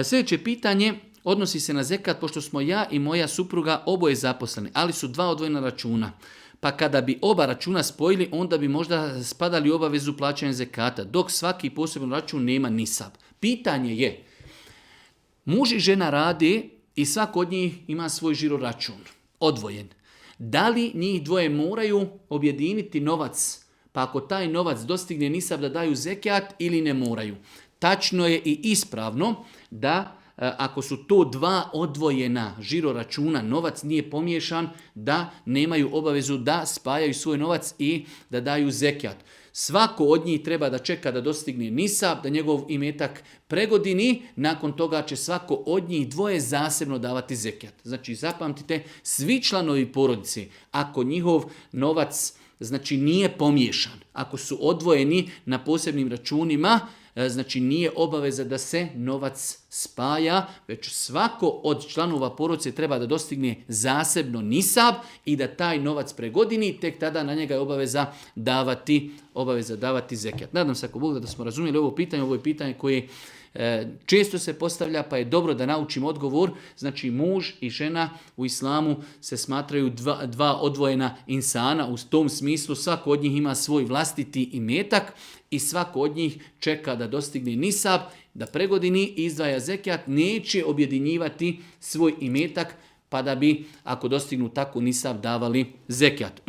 Sljedeće pitanje odnosi se na zekat, pošto smo ja i moja supruga oboje zaposleni, ali su dva odvojena računa. Pa kada bi oba računa spojili, onda bi možda spadali u obavezu plaćanja zekata, dok svaki poseban račun nema nisab. Pitanje je, muž i žena rade i svako od njih ima svoj žiro račun, odvojen. Da li njih dvoje moraju objediniti novac, pa ako taj novac dostigne nisab da daju zekat ili ne moraju? Tačno je i ispravno da ako su to dva odvojena žiro računa, novac nije pomiješan, da nemaju obavezu da spajaju svoj novac i da daju zekat. Svako od njih treba da čeka da dostigne nisab, da njegov imetak pregodini, nakon toga će svako od njih dvoje zasebno davati zekat. Znači zapamtite, svi članovi porodice, ako njihov novac znači nije pomiješan, ako su odvojeni na posebnim računima, znači nije obaveza da se novac spaja, već svako od članova porodice treba da dostigne zasebno nisab i da taj novac pregodini, tek tada na njega je obaveza davati zekat. Nadam se ako Bog da smo razumjeli ovo je pitanje koje često se postavlja, pa je dobro da naučimo odgovor. Znači muž i žena u islamu se smatraju dva odvojena insana, u tom smislu svako od njih ima svoj vlastiti imetak i svako od njih čeka da dostigne nisab, da pregodini i izdvaja zekat, neće objedinjivati svoj imetak pa da bi ako dostignu tako nisab davali zekat.